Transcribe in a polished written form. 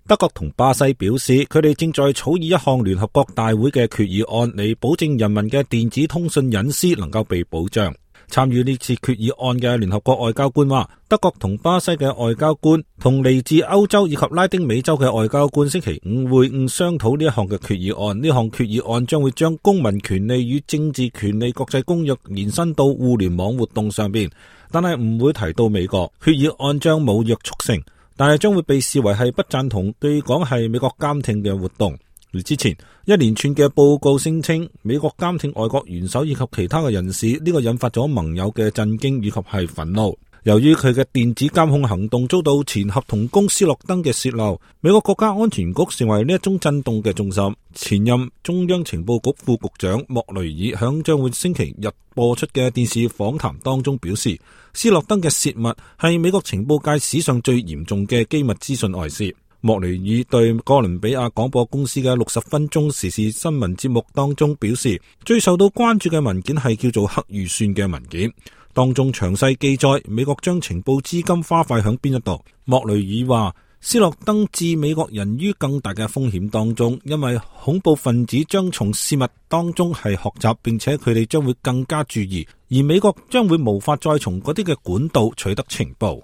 德國同巴西表示，佢哋正在草擬一項聯合國大會嘅決議案，嚟保證人民嘅電子通訊隱私能夠被保障。參與呢次決議案嘅聯合國外交官話，德國同巴西嘅外交官同嚟自歐洲以及拉丁美洲嘅外交官星期五會晤商討呢一項嘅決議案。呢項決議案將會將公民權利與政治權利國際公約延伸到互聯網活動上邊，但係唔會提到美國。決議案將冇約束性，但係將會被視為係不贊同據講係美國監聽嘅活動。而之前一連串嘅報告聲稱美國監聽外國元首以及其他嘅人士，呢個引發咗盟友嘅震驚以及係憤怒。由於佢嘅電子監控行動遭到前合同工斯諾登嘅洩漏，美國國家安全局成為呢一宗震動嘅重心。前任中央情報局副局長莫雷爾響將會星期日播出嘅電視訪談當中表示，斯諾登嘅洩密係美國情報界史上最嚴重嘅機密資訊外泄。莫雷爾對哥倫比亞廣播公司嘅60分鐘時事新聞節目當中表示，最受到關注嘅文件係叫做黑預算嘅文件，當中詳細記載美國將情報資金花費響邊一度。莫雷爾話，斯諾登置美國人於更大嘅風險當中，因為恐怖分子將從洩密當中係學習，並且佢哋將會更加注意，而美國將會無法再從嗰啲嘅管道取得情報。